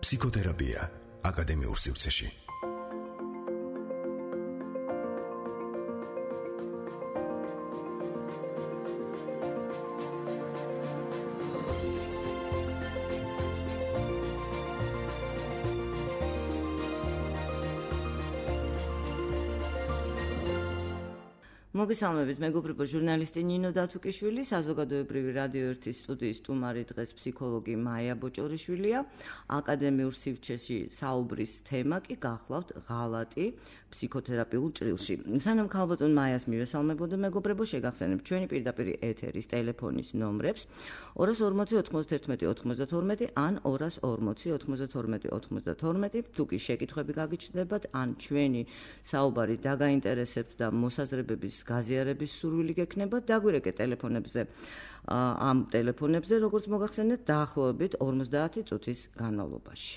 ფსიქოთერაპია აკადემიურ სივრცეში. მოგესალმებით, მეგობრებო, ჟურნალისტი ნინო დათუკიშვილი, საზოგადოებრივი რადიო 1-ის სტუდიის სტუმარი დღეს ფსიქოლოგი მაია ბოჭორიშვილია. აკადემიურ სივრცეში საუბრის თემა კი გახლავთ ღალატი ფსიქოთერაპიულ ჭრილში. სანამ ქალბატონ მაიას მივესალმებოდო, მეგობრებო, შეგახსენებთ ჩვენი პირდაპირ ეთერის ტელეფონის ნომრებს 240 91 92 ან 240 92 92. თუ კი შეკითხვები გაგიჩნდებათ, ან ჩვენი საუბარი დაგაინტერესებთ და მოსაზრებების გაზიარების სურვილი გექნება, დაგვირეკეთ ტელეფონებზე, ამ ტელეფონებზე, როგორც მოგახსენეთ, დაახლოებით 50 წუთის განმავლობაში.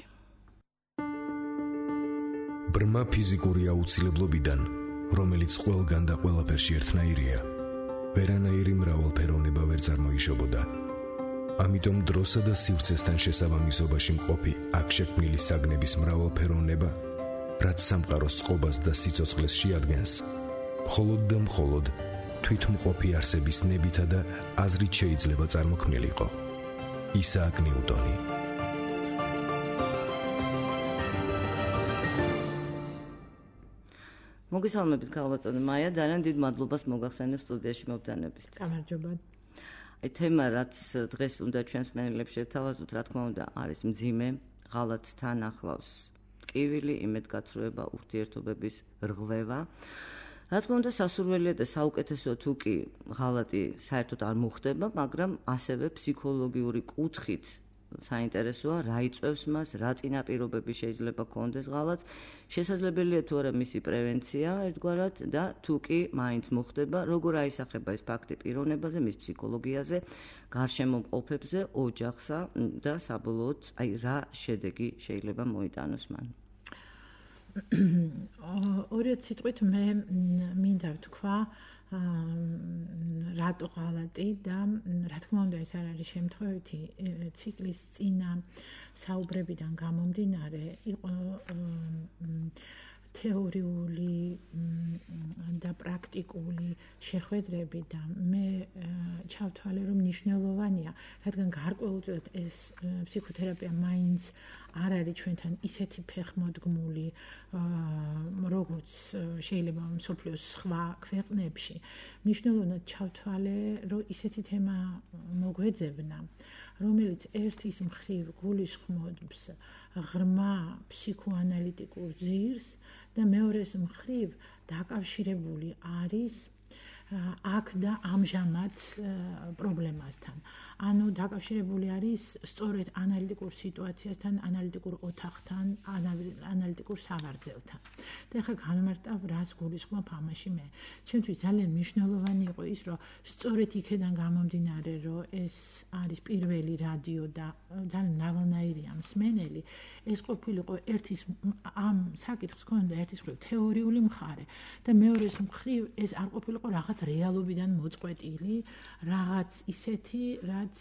ბრმა ფიზიკური აუცილებლობიდან, რომელიც ყველგან და ყველაფერში ერთნაირია, ვერანაირი მრავალფეროვნება ვერ წარმოიშობოდა. ამიტომ დროსა და სივრცესთან შესაბამისობაში მყოფი აქ შექმნილი საგნების მრავალფეროვნება, რაც სამყაროს წყობას და სიცოცხლეს შეადგენს, მხოლოდ და მხოლოდ თვითმყოფი არსების ნებითა და აზრით შეიძლება წარმოქმნილიყო. ისააკ ნიუტონი. მოგესალმებით, ქალბატონო მაია, ძალიან დიდ მადლობას მოგახსენებთ სტუდიაში მობრძანებისთვის. გამარჯობა. თემა, რაც დღეს უნდა ჩვენს მსმენელებს შევთავაზოთ, რა თქმა უნდა, არის მძიმე, ღალატს თან ახლავს ტკივილი, იმედგაცრუება, ურთიერთობების რღვევა. რა თქმა უნდა, სასურველია და საუკეთესოა თუ კი ღალატი საერთოდ არ მოხდება, მაგრამ ასევე ფსიქოლოგიური კუთხით საინტერესოა, რა იწვევს მას, რა წინაპირობები შეიძლება ქონდეს ღალატს, შესაძლებელია თუ არა მისი პრევენცია ერთგვარად და თუ კი მაინც მოხდება, როგორ აისახება ეს ფაქტი პიროვნებაზე, მის ფსიქოლოგიაზე, გარშემო მყოფებზე, ოჯახსა და საბოლოოდ რა შედეგი შეიძლება მოიტანოს მან. ორი სიტყვით მე მინდა ვთქვა რატო ღალატი და რა თქმა უნდა ეს არ არის შემთხვევითი ციკლის წინა საუბრებიდან გამომდინარე იყო თეორიული და პრაქტიკული შეხვედრები და მე ჩავთვალე რომ მნიშვნელოვანია, რადგან გარკვეულწილად ეს ფსიქოთერაპია მაინც არ არის ჩვენთან ისეთი ფეხმოდგმული, როგორც შეიძლება მსოფლიოს სხვა ქვეყნებში. მნიშვნელოვნად ჩავთვალე, რომ ისეთი თემა მოგვეძებნა, რომელიც ერთის მხრივ გულისხმობს ღრმა ფსიქოანალიტიკურ ძირს და მეორეს მხრივ დაკავშირებული არის აქ და ამჟამად პრობლემასთან. ანუ დაკავშირებული არის სწორედ ანალიტიკურ სიტუაციასთან, ანალიტიკურ ოთახთან, ანალიტიკურ სავარძელთან. და ახლა განმარტავ, რას გულისხმობ ამაში მე. ჩემთვის ძალიან მნიშვნელოვანი იყო ის, რომ სწორედ იქედან გამომდინარე, რომ ეს არის პირველი რადიო და ძალიან მრავალნაირია მსმენელი, ეს ყოფილიყო ერთის ამ საკითხს ქონდა ერთის მხრივ თეორიული მხარე და მეორეს მხრივ ეს არ ყოფილიყო რაღაც რეალობიდან მოწყვეტილი, რაღაც ისეთი, რაც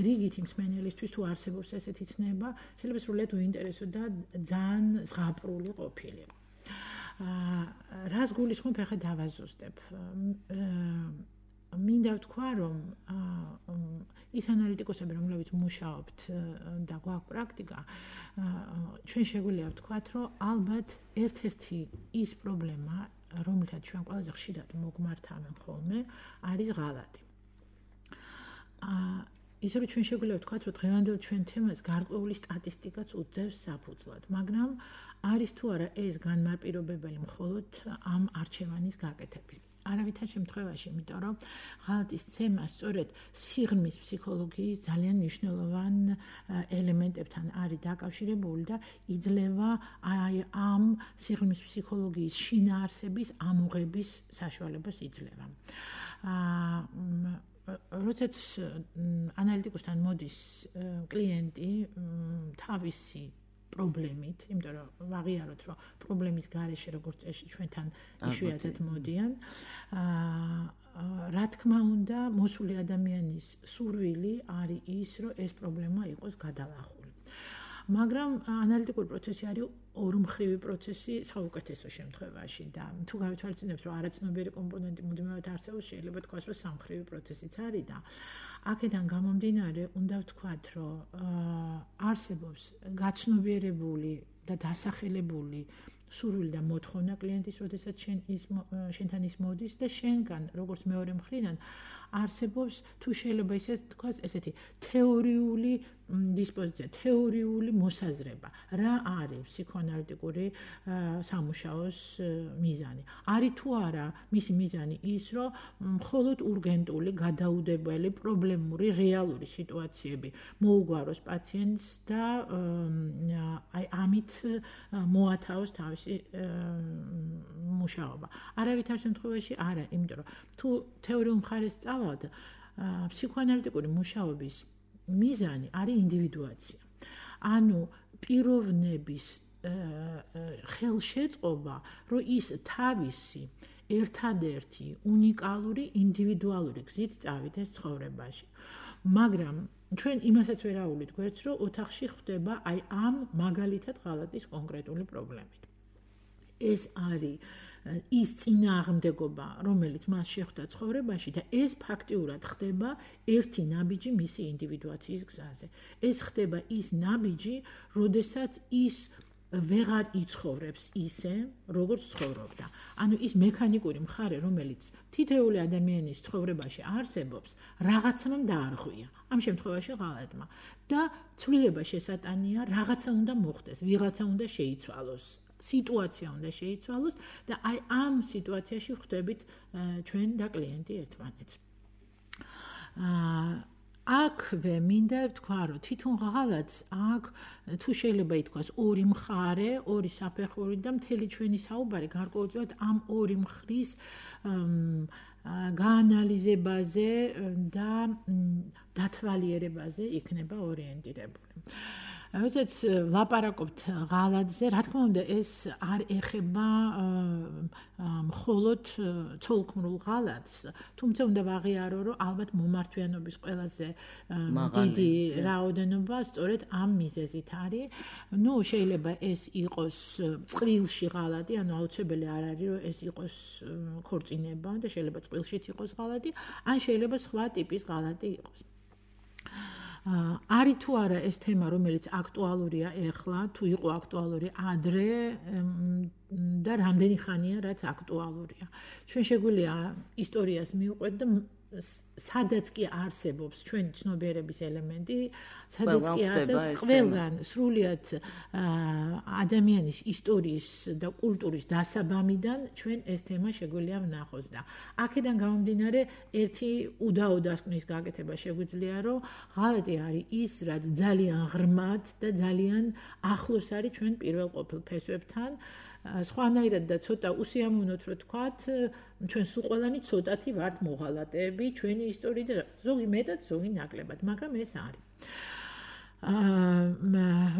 რიგით მსმენელისთვის თუ არსებობს ესეთი ცნება, შეიძლება სრულიად უინტერესო და ძალიან ზღაპრული ყოფილიყო. რას გულისხმობ, ახლა დავაზუსტებ. მინდა ვთქვა, რომ ის ანალიტიკოსები, რომლებიც მუშაობთ და გვაქვს პრაქტიკა, ჩვენ შეგვიძლია ვთქვათ, რომ ალბათ ერთ-ერთი ის პრობლემა, რომელთაც ჩვენ ყველაზე ხშირად მოგმართავენ ხოლმე, არის ღალატი. ისე რომ ჩვენ შეგვიძლია ვთქვათ, რომ დღევანდელ ჩვენ თემას გარკვეული სტატისტიკაც უძევს საფუძვლად, მაგრამ არის თუ არა ეს განმარტირებელი მხოლოდ ამ არჩევანის გაკეთების. არავითარ შემთხვევაში, იმიტომ რომ ღალატის თემა სწორედ სიღრმის ფსიქოლოგიის ძალიან მნიშვნელოვან ელემენტებთან არის დაკავშირებული და იძლევა ამ სიღრმის ფსიქოლოგიის შინაარსების ამოღების საშუალებას იძლევა. როდესაც ანალიტიკოსთან მოდის კლიენტი თავისი პრობლემით, იმიტომ რომ ვაღიაროთ, რომ პრობლემის გარეშე როგორც წესი ჩვენთან იშვიათად მოდიან, რა თქმა უნდა, მოსული ადამიანის სურვილი არის ის, რომ ეს პრობლემა იყოს გადალახული. მაგრამ ანალიტიკური პროცესი არის ორმხრივი პროცესი საუკეთესო შემთხვევაში და თუ გავითვალისწინებთ რომ არაცნობიერი კომპონენტი მუდმივად არსებობს შეიძლება თქვას რომ სამხრივი პროცესიც არის და აქედან გამომდინარე უნდა ვთქვათ რომ არსებობს გაცნობიერებული და დასახელებული სურვილი და მოთხოვნა კლიენტის, როდესაც შენთან ის მოდის და შენგან, როგორც მეორე მხრიდან, არსებობს თუ შეიძლება ისე თქვას, ესეთი თეორიული დისპოზიცია, თეორიული მოსაზრება, რა არის ფსიქოანალიტიკური სამუშაოს მიზანი. არის თუ არა მისი მიზანი ის, რომ მხოლოდ ურგენტული, გადაუდებელი, პრობლემური, რეალური სიტუაციები მოუგვაროს პაციენტს და აი ამით მოათავოს თავისი მუშაობა. არავითარ შემთხვევაში არა, იმიტომ რომ თუ თეორიულ მხარეს წავალთ, ფსიქოანალიტიკური მუშაობის მიზანი არის ინდივიდუაცია. ანუ პიროვნების ხელშეწყობა, რომ ის თავისი ერთადერთი უნიკალური ინდივიდუალური გზით წავიდეს ცხოვრებაში. მაგრამ ჩვენ იმასაც ვერ აუვლით გვერდს, რომ ოთახში ხდება აი ამ მაგალითად ღალატის კონკრეტული პრობლემით. ეს არის ის წინააღმდეგობა, რომელიც მას შეხვდა ცხოვრებაში და ეს ფაქტიურად ხდება ერთი ნაბიჯი მისი ინდივიდუაციის გზაზე. ეს ხდება ის ნაბიჯი, როდესაც ის ვეღარ იცხოვრებს ისე, როგორც ცხოვრობდა. ანუ ის მექანიკური მხარე, რომელიც თითოეული ადამიანის ცხოვრებაში არსებობს, რაღაცამ დაარღვია. ამ შემთხვევაში ღალატმა და ცვლილება შესატანია, რაღაცა უნდა მოხდეს, ვიღაცა უნდა შეიცვალოს. სიტუაცია უნდა შეიცვალოს და აი ამ სიტუაციაში ხვდებით ჩვენ და კლიენტი ერთმანეთს. აქვე მინდა ვთქვა, რომ თვითონ ღალატს აქ თუ შეიძლება ითქვას ორი მხარე, ორი საფეხური და მთელი ჩვენი საუბარი გარკვეულწილად ამ ორი მხრის გაანალიზებაზე და დათვალიერებაზე იქნება ორიენტირებული. როდესაც ვლაპარაკობთ ღალატზე, რა თქმა უნდა, ეს არ ეხება მხოლოდ ცოლქმრულ ღალატს, თუმცა უნდა ვაღიარო, რომ ალბათ მომართვიანობის ყველაზე დიდი რაოდენობა სწორედ ამ მიზეზით არის. ნუ შეიძლება ეს იყოს წყვილში ღალატი, ანუ აუცილებელი არ არის, რომ ეს იყოს ქორწინება და შეიძლება წყვილშიც იყოს ღალატი, ან შეიძლება სხვა ტიპის ღალატი იყოს. არის თუ არა ეს თემა, რომელიც აქტუალურია ეხლა, თუ იყო აქტუალური ადრე და რამდენი ხანია, რაც აქტუალურია. ჩვენ შეგვიძლია ისტორიას მივყვეთ და სადაც კი არსებობს ჩვენი ცნობიერების ელემენტი, სადაც კი არსებობს ყველგან სრულიად ადამიანის ისტორიის და კულტურის დასაბამიდან ჩვენ ეს თემა შეგვიძლია ვნახოს და აქედან გამომდინარე ერთი უდაო დასკვნის გაკეთება შეგვიძლია, რომ ღალატი არის ის, რაც ძალიან ღრმად და ძალიან ახლოს არის ჩვენ პირველ ყოფილ ფესვებთან. სხვანაირად და ცოტა უსიამოვნოთ რომ თქვათ, ჩვენ სულ ყველანი ცოტათი ვართ მოღალატეები ჩვენი ისტორიით და ზოგი მეტად, ზოგი ნაკლებად, მაგრამ ეს არის.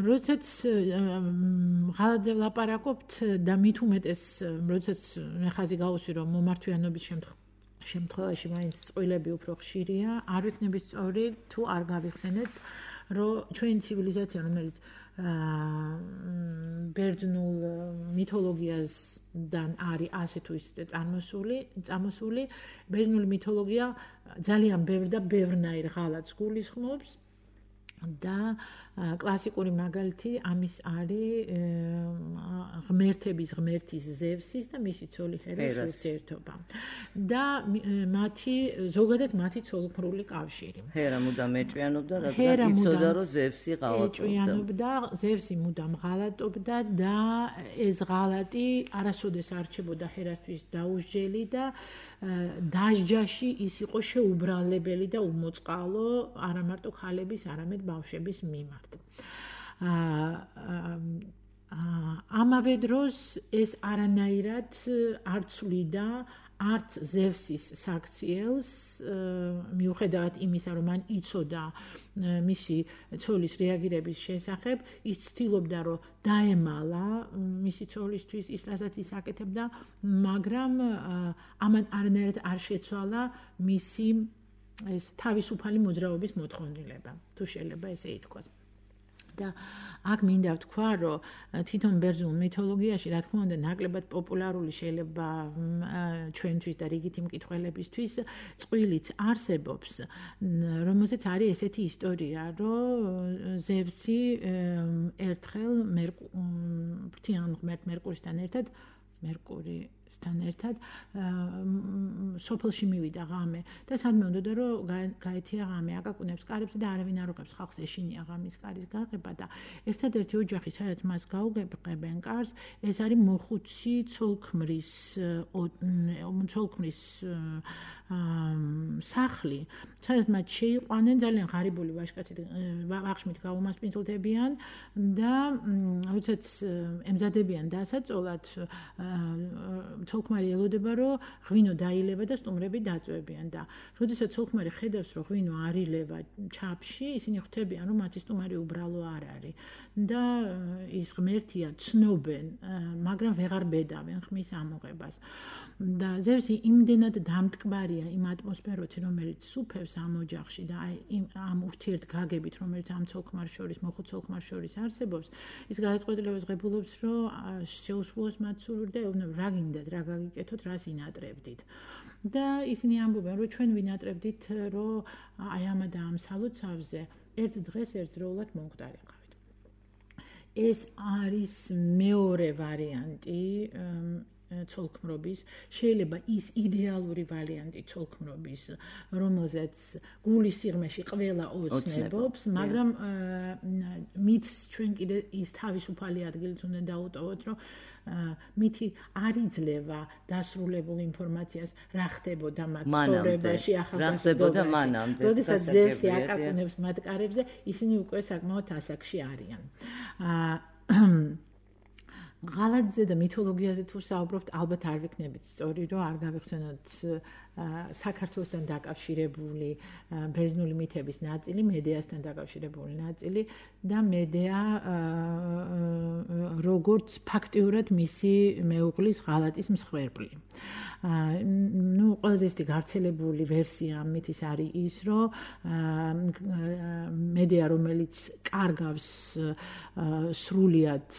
როდესაც ღალატზე ვლაპარაკობთ და მით უმეტეს, როდესაც მე ხაზი გავუსვი, რომ მომართვიანობის შემთხვევაში მაინც წყვილები უფრო ხშირია, არ ვიქნებით სწორი თუ არ გავიხსენეთ, რომ ჩვენი ცივილიზაცია, რომელიც ბერძნულ მითოლოგიასთან არის ასე თუ ისე წამოსული, ბერძნული მითოლოგია ძალიან ბევრ და ბევრნაირ ღალატს გულისხმობს და კლასიკური მაგალითი ამის არის ღმერთების ღმერთის ზევსის და მისი ცოლი ჰერას ურთიერთობა და ზოგადად მათი ცოლქმრული კავშირი. ჰერა მუდამ ეჭვიანობდა, რადგან იცოდა, რომ ზევსი ღალატობდა. ზევსი მუდამ ღალატობდა და ეს ღალატი არასოდეს არ რჩებოდა ჰერასთვის დაუსჯელი და დასჯაში ის იყო შეუბრალებელი და უმოწყალო არა მარტო ქალების, არამედ ბავშვების მიმართ. ამავე დროს ეს არანაირად არ ცვლიდა არც ზევსის საქციელს, მიუხედავად იმისა, რომ მან იცოდა მისი ცოლის რეაგირების შესახებ, ის ცდილობდა, რომ დაემალა მისი ცოლისთვის ის, რასაც ის აკეთებდა, მაგრამ ამან არანაირად არ შეცვალა მისი ეს თავისუფალი მოძრაობის მოთხოვნილება, თუ შეიძლება ესე ითქვას. და აქ მინდა ვთქვა, რომ თვითონ ბერძნულ მითოლოგიაში, რა თქმა უნდა, ნაკლებად პოპულარული შეიძლება ჩვენთვის და რიგითი მკითხველებისთვის წყვილიც არსებობს, რომელზეც არის ესეთი ისტორია, რომ ზევსი ერთხელ ფრთიან ღმერთ მერკურისთან ერთად სოფელში მივიდა ღამე და სადმე უნდოდა რომ გაეთია ღამე აკაკუნებს კარებზე და არავინ არ უყებს ხალხს ეშინია ღამის კარის გაღება და ერთადერთი ოჯახი სადაც მას გაუგებენ კარს ეს არის მოხუცი ცოლქმრის სახლი სადაც მათ შეიყვანენ ძალიან ღარიბული ვაჟკაცი ვახშმით გაუმასპინძლდებიან და როდესაც ემზადებიან დასაწოლად ცოლქმარი ელოდება რომ ღვინო დაილევა და სტუმრები დაწვევიან და როდესაც ცოლქმარი ხედავს რომ ღვინო არ ილევა ჩაფში ისინი ხვდებიან რომ მათი სტუმარი უბრალო არ არის და ის ღმერთია ცნობენ მაგრამ ვეღარ ბედავენ ხმის ამოღებას და ზევსი იმდენად დამტკბარია იმ ატმოსფეროთი რომელიც სუფევს ამ ოჯახში და ამ ურთიერთგაგებით რომელიც ამ ცოლქმარ შორის მოხუც ცოლქმარ შორის არსებობს ის გადაწყვეტილებას ღებულობს რომ შეუსრულოს მათ სურვილს და ეუბნებ რა გინდათ რა გაგიკეთოთ რას ინატრებდით და ისინი ამბობენ რომ ჩვენ ვინატრებდით რომ აი ამა და ამ სალოცავზე ერთ დღეს ერთდროულად მომხდარიყავით ეს არის მეორე ვარიანტი ცოლქმრობის შეიძლება ის იდეალური ვარიანტი ცოლქმრობის რომელზეც გულის სიღრმეში ყველა ოცნებობს მაგრამ მით ჩვენ კიდე ის თავისუფალი ადგილიც უნდა დაუტოვოთ რომ მითი არ იძლევა დასრულებულ ინფორმაციას რა ხდებოდა მათ ცხოვრებაში ახალგაზრდობაში როდესაც ზევსი აკაკუნებს მათ კარებზე ისინი უკვე საკმაოდ ასაკში არიან ღალატზე და მითოლოგიაზე თუ საუბრობთ, ალბათ არ ვიქნებით სწორი, რომ არ გავიხსენოთ საქართველოსთან დაკავშირებული ბერძნული მითების ნაწილი, მედეასთან დაკავშირებული ნაწილი და მედეა როგორც ფაქტიურად მისი მეუღლის ღალატის მსხვერპლი. ყველაზე ისეთი გავრცელებული ვერსია მითის არის ის, რომ მედეა, რომელიც კარგავს სრულიად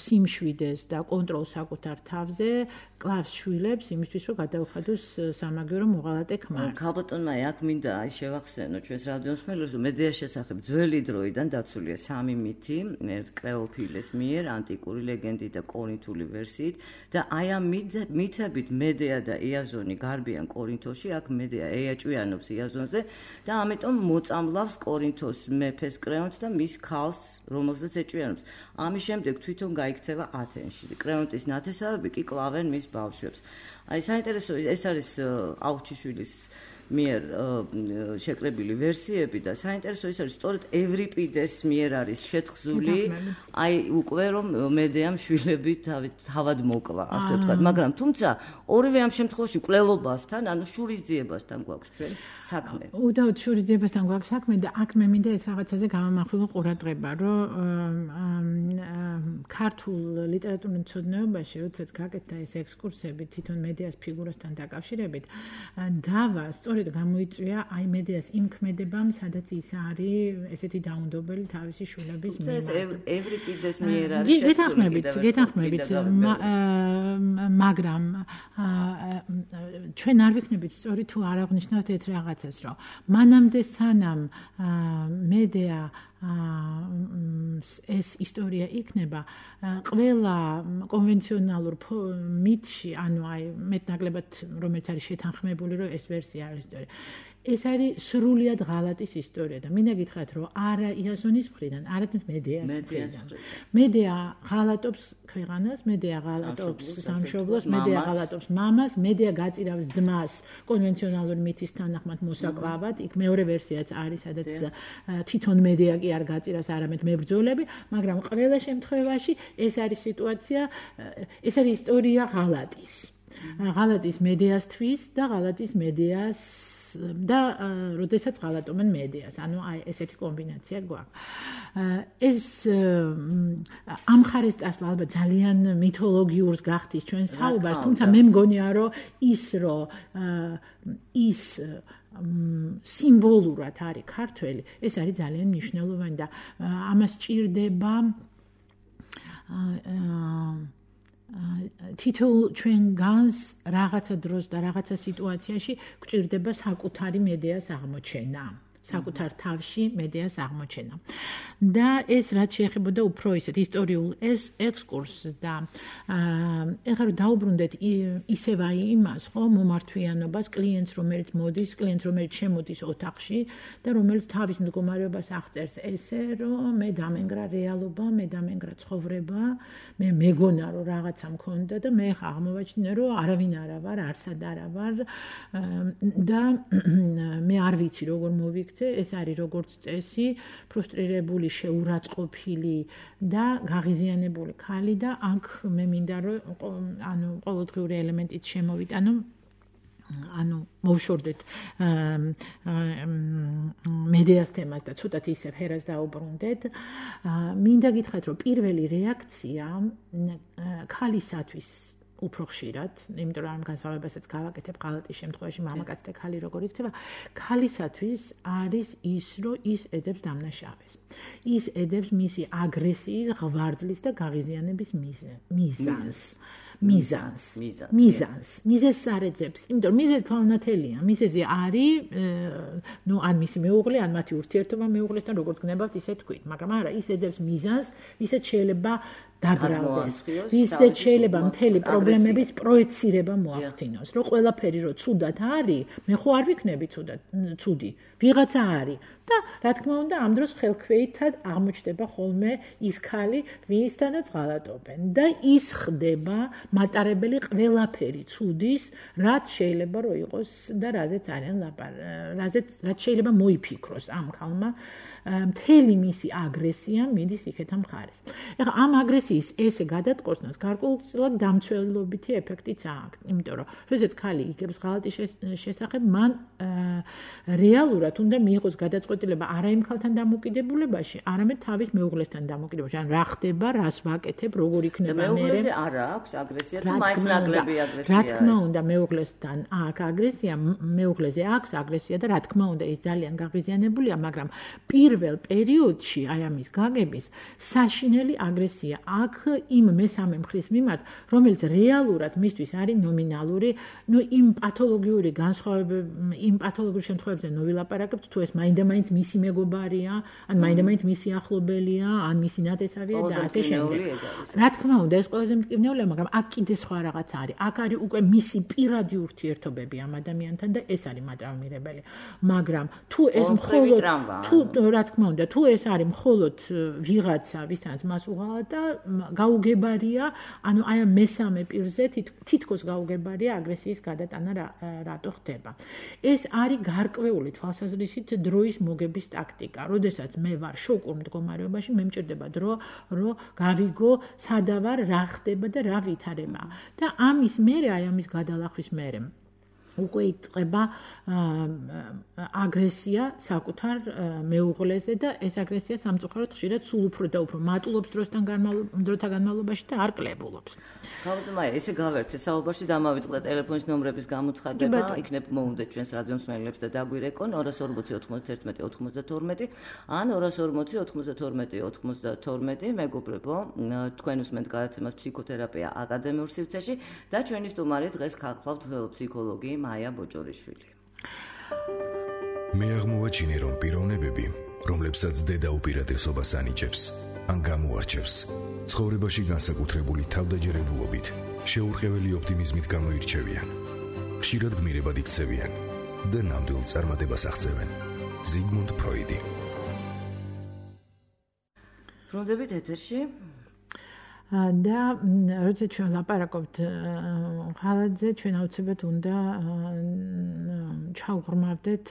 სიმშვიდეს და კონტროლს საკუთარ თავზე, კლავს შვილებს იმისთვის, რომ გადაუხადოს სამაგერო მოღალატე ქმარს. ქალბატონმა აქ მინდა შევახსენო ჩვენს რადიოს მელოს, რომ მედეას შესახებ ძველი დროიდან დაცულია 3 მითი, კრეოფილეს მიერ, ანტიკური ლეგენდით და კორინთული ვერსიით და აი ამ მითებით მედეა და იაზონი გარბიან კორინთოში, აქ მედეა ეაჭვიანობს იაზონზე და ამიტომ მოწამლავს კორინთოს მეფეს კრეონტს და მის ქალს, რომელსაც ეჭვიანობს. ამის შემდეგ თვითონ გაიქცევა ათენში. კრეონტის ნათესავები კი კლავენ მის ბავშვებს. აი საინტერესო ეს არის აუჩიშვილის მიერ შეკრებილი ვერსიები და საინტერესო ის არის სწორედ ევრიპიდეს მიერ არის შეთხზული აი უკვე რომ მედეამ შვილები თავად მოკლა ასე ვთქვათ მაგრამ თუმცა ორივე ამ შემთხვევაში კვლელობასთან ანუ შურისძიებასთან გვაქვს ჩვენ საქმე უდავოდ შურისძიებასთან გვაქვს საქმე და აქ მე მინდა ეს რაღაცაზე გამომახვილო ყურადღება რომ ქართულ ლიტერატურულ მცოდნეობაში როდესაც გაკეთდა ეს ექსკურსები თვითონ მედეას ფიგურასთან დაკავშირებით დავა სწორედ გამოიწვია აი მედეას იმ ქმედებამ, სადაც ის არის ესეთი დაუნდობელი თავისი შვილების მიმართ. ეს ევრიპიდეს მიერ არის გეთანხმებით, მაგრამ ჩვენ არ ვიქნებით სწორი თუ არ აღნიშნავთ ერთ რაღაცას, რომ მანამდე სანამ მედეა ეს ისტორია იქნება ყველა კონვენციონალურ მითში, ანუ აი მეტნაკლებად რომელიც არის შეთანხმებული, რომ ეს ვერსია არის ისტორია. ეს არის სრულიად ღალატის ისტორია და მინდა გითხრათ, რომ არა იაზონის მხრიდან, არამედ მედეას მხრიდან. მედეა ღალატობს ქვეყანას, მედეა ღალატობს სამშობლოს, მედეა ღალატობს მამას, მედეა გაწირავს ძმას კონვენციონალური მითის თანახმად მოსაკლავად. იქ მეორე ვერსიაც არის, სადაც თვითონ მედეა კი არ გაწირავს, არამედ მებრძოლები, მაგრამ ყველა შემთხვევაში ეს არის სიტუაცია, ეს არის ისტორია ღალატის. ღალატის მედეასთვის და ღალატის მედეას და როდესაც ღალატობენ მედეას, ანუ აი ესეთი კომბინაცია გვაქვს. ეს ამ ხარეს წასვლა ალბათ ძალიან მითოლოგიურს გახდის ჩვენ საუბარს, თუმცა მე მგონია რომ ის სიმბოლურად არის ქართველი, ეს არის ძალიან მნიშვნელოვანი და ამას ჭირდება თითოეულ ჩვენ განს რაღაცა დროს და რაღაცა სიტუაციაში გვჭირდება საკუთარი მედეას აღმოჩენა. საკუთარ თავში მედეას აღმოჩენა. და ეს რაც შეეხებოდა უფრო ისეთ ისტორიულ ექსკურსს და ეხლა რომ დაუბრუნდეთ ისევ აი იმას, ხო, მომართვიანობას, კლიენტს რომელიც შემოდის ოთახში და რომელიც თავის მდგომარეობას აღწერს ესე, რომ მე დამენგრა რეალობა, მე დამენგრა ცხოვრება, მე მეგონა რომ რაღაცა მქონდა და მე ხა აღმოვაჩინე რომ არავინ არა ვარ, არსად არა ვარ და მე არ ვიცი როგორ მოვიქცე. ეს არის როგორც წესი, ფრუსტრირებული, შეურაცხყოფილი და გაღიზიანებული ქალი და აქ მე მინდა რომ ანუ ყოველდღიური ელემენტით შემოვიტანო ანუ მოვშორდეთ მედეას თემას და ცოტათ ისე ფერას დაუბრუნდეთ. მინდა გითხრათ, რომ პირველი რეაქცია ქალისათვის უფრო ხშირად, იმიტომ რომ ამ განსხვავებასაც გავაკეთებ ღალატის შემთხვევაში მამაკაც და ქალი როგორ იქცევა, ქალისათვის არის ის, რომ ის ეძებს დამნაშავეს. ის ეძებს მისი აგრესიის, ღვაწლის და გაღიზიანების მიზეზს არ ეძებს, იმიტომ რომ მიზეზი თვალნათელია. მიზეზი არის, ან მისი მეუღლე, ან მათი ურთიერთობა მეუღლესთან როგორც გნებავთ, ისე თქვით, მაგრამ არა, ის ეძებს მიზანს, ისეთ შეიძლება დაბრალდეს. ისეთ შეიძლება მთელი პრობლემების პროექცირება მოახდინოს, რომ ყველაფერი რო ცუდად არის, მე ხო არ ვიქნები ცუდი, ვიღაცა არის. და რა თქმა უნდა, ამ დროს ხელქვეითად აღმოჩნდება ხოლმე ის ქალი, ვისთანაც ღალატობენ და ის ხდება მატარებელი ყველაფერი ცუდის, რაც შეიძლება რომ იყოს და რაზეც არიან რაც შეიძლება მოიფიქროს ამ ქალმა. მთელი მისი აგრესია მიდის იქეთ ამ მხარეს. ეხლა ამ აგრესიის ესე გადატყორნას გარკვეულწილად დამცველობითი ეფექტიც აქვს, იმიტომ რომ როდესაც ქალი იგებს ღალატის შესახებ, მან რეალურად უნდა მიიღოს გადაწყვეტილება არა იმ ქალთან დამოკიდებულებაში, არამედ თავის მეუღლესთან დამოკიდებულებაში. ან რა ხდება, რას ვაკეთებ, როგორ იქნება მე. მეუღლეზე არა აქვს აგრესია, თუ მაინც ნაკლები აგრესია. რა თქმა უნდა, მეუღლესთან აქვს აგრესია, მეუღლეზე აქვს აგრესია და რა თქმა უნდა, ის ძალიან გაღიზიანებულია, მაგრამ პირველ პერიოდში აი ამის გაგების საშინელი აგრესია აქ იმ მესამე მხრის მიმართ, რომელიც რეალურად მისთვის არის ნომინალური, იმ პათოლოგიური განსხვავებები, იმ პათოლოგიური შემთხვევებზე ნოვილაპარაკებთ, თუ ეს მაინდა-მაინც მისი მეგობარია, ან მაინდა-მაინც მისი ახლობელია, ან მისი ნათესავია და ასე შემდეგ. რა თქმა უნდა, ეს ყველაზე მტკივნეულია, მაგრამ აქ კიდე სხვა რაღაც არის. აქ არის უკვე მისი პირადი ურთიერთობები ამ ადამიანთან და ეს არის მატრაუმირებელი. მაგრამ თუ ეს მხოლოდ რა თქმა უნდა, თუ ეს არის მხოლოდ ვიღაცა, ვისთანაც მას უღალატა, გაუგებარია, ანუ აი ამ მესამე პირზე თითქოს გაუგებარია აგრესიის გადატანა რატო ხდება. ეს არის გარკვეული თვალსაზრისით დროის მოგების ტაქტიკა. როდესაც მე ვარ შოკურ მდგომარეობაში, მე მჭირდება დრო, რომ გავიგო, სადა ვარ, რა ხდება და რა ვითარება. და ამის მერე, აი ამის გადალახვის მერე უკვე იტყება აგრესია საკუთარ მეუღლეზე და ეს აგრესია სამწუხაროდ ხშირად სულ უფრო და უფრო მატულობს დროთა განმავლობაში და არ კლებულობს. გავდმაია, ესე გავერთე საუბარში დამავიწყდა ტელეფონის ნომრების გამოცხადება, იქნებ მოუნდეთ ჩვენს რადიო მსმენელებს და დაგვირეკონ 240 91 92 ან 240 92 92. მეგობრებო, თქვენ უსმენთ გადაცემას ფსიქოთერაპია აკადემიურ სივრცეში და ჩვენი სტუმარი დღეს გახლავთ ფსიქოლოგი მაია ბოჭორიშვილი. მე აღმოვაჩინე, რომ პიროვნებები, რომლებსაც დედა უპირატესობას ანიჭებს, ან გამოარჩევს, ცხოვრებაში განსაკუთრებული თავდაჯერებულობით, შეურყეველი ოპტიმიზმით გამოირჩევიან. ხშირად გმირებად იქცევიან და ნამდვილ წარმატებას აღწევენ. ზიგმუნდ ფროიდი. ბრუნდებით ეთერში. და როცა ჩვენ ლაპარაკობთ ღალატზე, ჩვენ აუცილებლად უნდა ჩავღრმავდეთ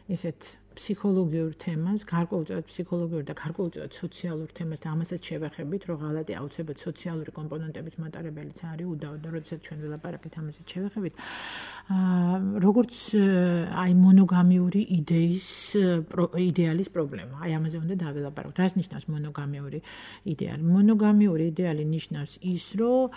ესეთ ფსიქოლოგიურ თემას, გარკვეულწილად ფსიქოლოგიურ და გარკვეულწილად სოციალურ თემას და ამასაც შევეხებით, რომ ღალატი აუცილებლად სოციალური კომპონენტების მატარებელიც არის უდაოდ და როდესაც ჩვენ ვილაპარაკეთ ამასაც შევეხებით, როგორც აი მონოგამიური იდეალის პრობლემა. აი ამაზე უნდა დავილაპარაკოთ. რას ნიშნავს მონოგამიური იდეალი? მონოგამიური იდეალი ნიშნავს ის, რომ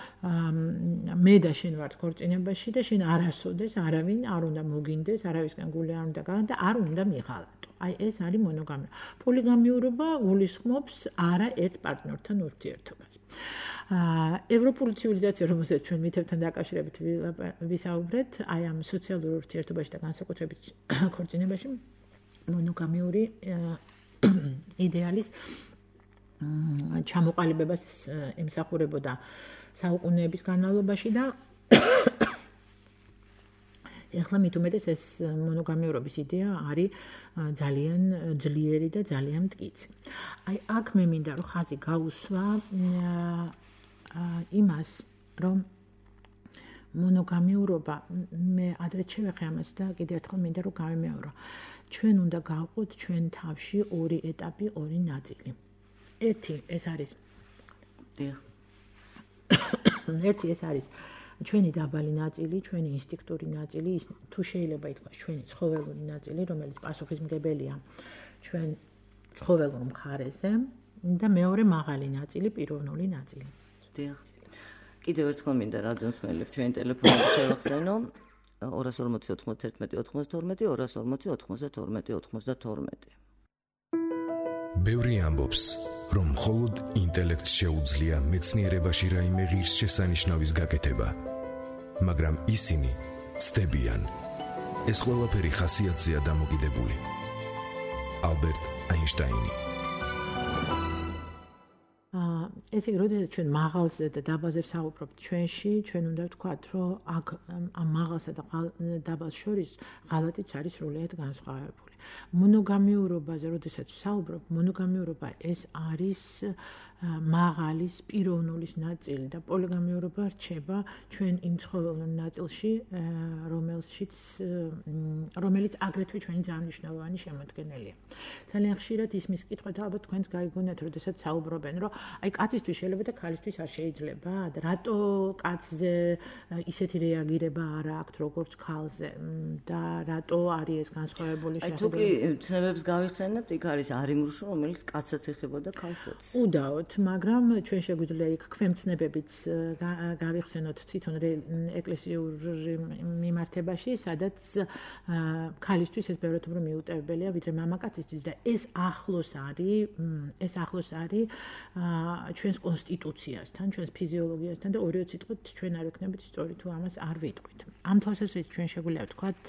მე და შენ ვართ ქორწინებაში და შენ არასოდეს არავინ არ უნდა მოგინდეს, არავისგან გული არ უნდა გავა და არ უნდა მიღალატო. აი ეს არის მონოგამია. პოლიგამიურობა გულისხმობს არა ერთ პარტნიორთან ურთიერთობას. ევროპული ცივილიზაცია, რომელსაც ჩვენ მითებთან დაკავშირებით ვისაუბრეთ, აი ამ სოციალურ ურთიერთობაში და განსაკუთრებით ქორწინებაში მონოგამიური იდეალის ჩამოყალიბებას ემსახურებოდა საუკუნეების განმავლობაში და ეხლა მით უმეტეს ეს მონოგამიურობის იდეა არის ძალიან ძლიერი და ძალიან მტკიცე. აი აქ მე მინდა რომ ხაზი გაუსვა იმას, რომ მონოგამიურობა მე ადრეც შევეხე ამას და კიდევ ერთხელ მინდა რომ გავიმეორო. ჩვენ უნდა გავყოთ ჩვენ თავში ორი ეტაპი, ორი ნაწილი. ერთი ეს არის ჩვენი დაბალი ნაწილი, ჩვენი ინსტინქტური ნაწილი, ის თუ შეიძლება ითქვას ჩვენი ცხოველური ნაწილი, რომელიც პასუხისმგებელია ჩვენ ცხოველურ მხარეზე და მეორე მაღალი ნაწილი, პიროვნული ნაწილი. დიახ. კიდევ ერთხელ მინდა რადიოსმენელებს ჩვენი ტელეფონები შევახსენო 240 91 92 240 92 92. ბევრი ამბობს, რომ მხოლოდ ინტელექტს შეუძლია მეცნიერებაში რაიმე ღირსშესანიშნავის გაკეთება, მაგრამ ისინი ცდებიან. ეს ყველაფერი ხასიათზეა დამოკიდებული. ალბერტ აინშტაინი. ესე იგი, როდესაც ჩვენ მაღალზე და დაბალზე ვსაუბრობთ ჩვენში, ჩვენ უნდა ვთქვათ, რომ აქ ამ მაღალსა და დაბალს შორის ღალატიც არის სრულიად განსხვავებული. მონოგამიურობაზე, როდესაც ვსაუბრობ, მონოგამიურობა ეს არის მაღალის პიროვნულის ნაწილი და პოლიგამიურობა რჩება ჩვენ იმ ცხოველურ ნაწილში, რომელიც აგრეთვე ჩვენი ძალიან მნიშვნელოვანი შემოქმედელია. ძალიან ხშირად ისმის კითხვა და ალბათ თქვენს გაიგონათ, როდესაც საუბრობენ, რომ აი კაცისთვის შეიძლება და ქალისთვის არ შეიძლება, და რატო კაცზე ისეთი რეაგირება არ აქვს, როგორც ქალზე და რატო არის ეს განსხვავებული შეხედულება. აი თუ კი ცნებებს გავიხსენებთ, იქ არის არიმრუშო, რომელიც კაცსაც ეხებოდა ქალსაც. უდაოდ, მაგრამ ჩვენ შეგვიძლია იქ ქვემცნებებიც გავიხსენოთ თვითონ ეკლესიურ მიმართებაში, სადაც ქალისთვის ეს ბევრად უფრო მიუტევებელია ვიდრე მამაკაცისთვის და ეს ახლოს არის ჩვენს კონსტიტუციასთან, ჩვენს ფიზიოლოგიასთან და ორივე სიტყვით ჩვენ არ ვიქნებით სწორი თუ ამას არ ვიტყვით. ამ თვალსაზრისით ჩვენ შეგვიძლია ვთქვათ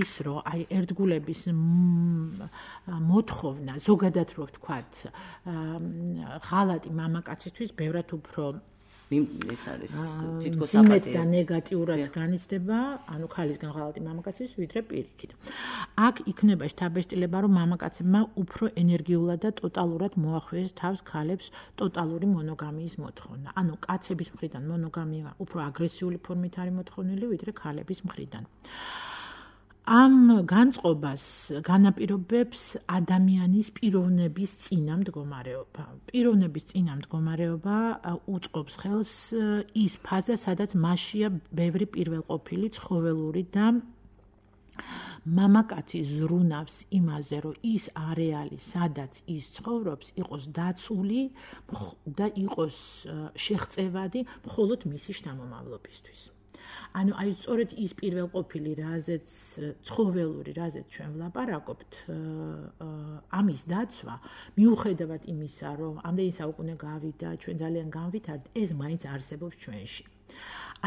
ის, რომ აი ერთგულების მოთხოვნა, ზოგადად რო ვთქვათ, ღალატი მამაკაცისთვის ბევრად უფრო ეს არის თითქოს ზიმეთ და ნეგატიურად განიცდება, ანუ ქალისგან ღალატი მამაკაცის ვიდრე პირიქით. აქ იქნება შთაბეჭდილება, რომ მამაკაცებმა უფრო ენერგიულად და ტოტალურად მოახვიეს თავს ქალებს ტოტალური მონოგამიის მოთხოვნა. ანუ კაცების მხრიდან მონოგამია უფრო აგრესიული ფორმით არის მოთხოვნილი, ვიდრე ქალების მხრიდან. ამ განწყობას განაპირობებს ადამიანის პიროვნების წინამდგომარეობა. პიროვნების წინამდგომარეობა უწყობს ხელს ის ფაზა, სადაც მასშია ბევრი პირველყოფილი ცხოველური და მამაკაცი ზრუნავს იმაზე, რომ ის არეალი, სადაც ის ცხოვრობს, იყოს დაცული და იყოს შეღწევადი მხოლოდ მისი შთამომავლობისთვის. ანუ აი სწორედ ის პირველყოფილი, რაზეც ცხოველური, რაზეც ჩვენ ვლაპარაკობთ, ამის დაცვა, მიუხედავად იმისა, რომ ამდენი საუკუნე გავიდა, ჩვენ ძალიან განვითარდით, ეს მაინც არსებობს ჩვენში.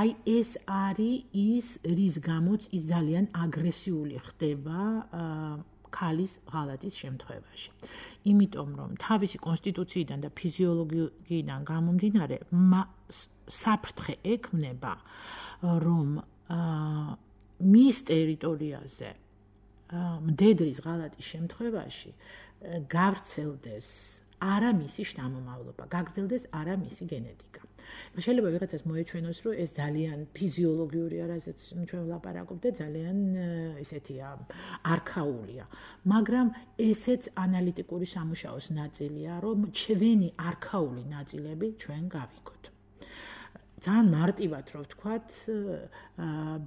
აი ეს არის ის, რის გამოც ის ძალიან აგრესიული ხდება ქალის ღალატის შემთხვევაში. იმიტომ რომ თავისი კონსტიტუციიდან და ფიზიოლოგიიდან გამომდინარე, საფრთხე ექმნება, რომ მის ტერიტორიაზე მდედრის ღალატის შემთხვევაში გავრცელდეს არა მისი შთამომავლობა, გაგრძელდეს არა მისი გენეტიკა. შეიძლება ვიღაცას მოეჩვენოს, რომ ეს ძალიან ფიზიოლოგიურია, რასაც ჩვენ ვლაპარაკობთ და ძალიან ისეთია არქაულია. მაგრამ ესეც ანალიტიკური სამუშაოს ნაწილია, რომ ჩვენი არქაული ნაწილები ჩვენ გავიგოთ. ძალიან მარტივად რო ვთქვათ,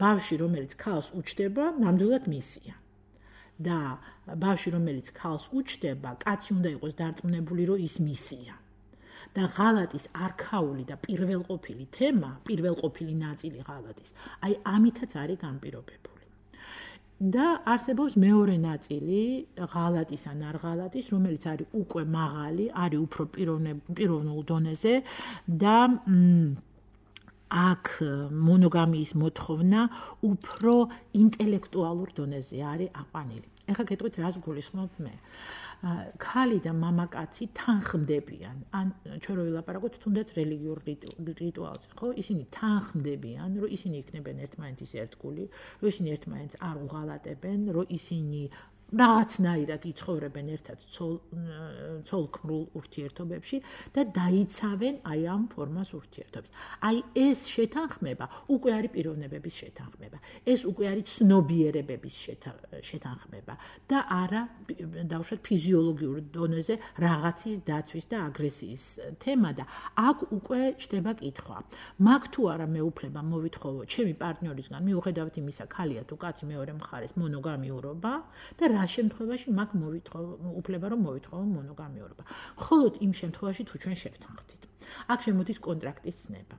ბავშვი, რომელიც ქალს უჩდება, ნამდვილად მისია. და ბავშვი, რომელიც ქალს უჩდება, კაცი უნდა იყოს დარწმუნებული, რომ ის მისია. და ღალატის არქაული და პირველყოფილი თემა, პირველყოფილი ნაწილი ღალატის, აი ამითაც არის განპირობებული. და არსებობს მეორე ნაწილი ღალატის ან არ ღალატის, რომელიც არის უკვე მაღალი, არის უფრო პიროვნულ დონეზე და აქ მონოგამიის მოთხოვნა უფრო ინტელექტუალურ დონეზე არის აყვანილი. ეხლა გეტყვით, რას გულისხმობ მე? ქალი და მამაკაცი თანხმდებიან, ან ჩვენ რო ვილაპარაკოთ თუნდაც რელიგიურ რიტუალზე, ხო? ისინი თანხმდებიან, რომ ისინი იქნებიან ერთმანეთის ერთგული, რომ ისინი ერთმანეთს არ უღალატებენ, რომ ისინი რაღაცნაირად იცხოვრებენ ერთად ცოლ-ქმრულ ურთიერთობებში და დაიცავენ აი ამ ფორმას ურთიერთობის. აი ეს შეთანხმება უკვე არის პიროვნებების შეთანხმება. ეს უკვე არის ცნობიერებების შეთანხმება და არა დავუშვათ ფიზიოლოგიურ დონეზე რაღაცის დაცვის და აგრესიის თემა და აქ უკვე ჩდება კითხვა. მაგ თუ არა მეუფლება მოვითხოვო ჩემი პარტნიორისგან, მიუხედავად იმისა, ქალია თუ კაცი მეორე მხარეს მონოგამიურობა და რა შემთხვევაში მაგ უფლება რომ მოვითხოვო მონოგამიურობა. მხოლოდ იმ შემთხვევაში თუ ჩვენ შევთანხმდით. აქ შემოდის კონტრაქტის ცნება.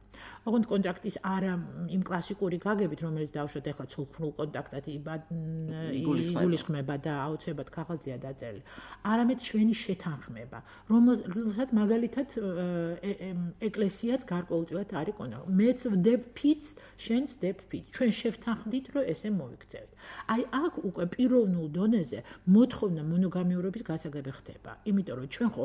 ოღონდ კონტრაქტის არა იმ კლასიკური გაგებით, რომელიც დავუშვათ ახლა ცოლ-ქმრულ კონტაქტად იგულისხმება და აუცილებლად ქაღალდზეა დაწერილი. არამედ ჩვენი შეთანხმება, რომელსაც მაგალითად ეკლესიაც გარკვეულწილად არის კონტრაქტი. მეც ვდებ ფიცს, შენც ვდებ ფიცს. ჩვენ შევთანხმდით, რომ ესე მოვიქცევით. აი აქ უკვე პიროვნულ დონეზე მოთხოვნა მონოგამიურობის გასაგები ხდება. იმიტომ რომ ჩვენ ხო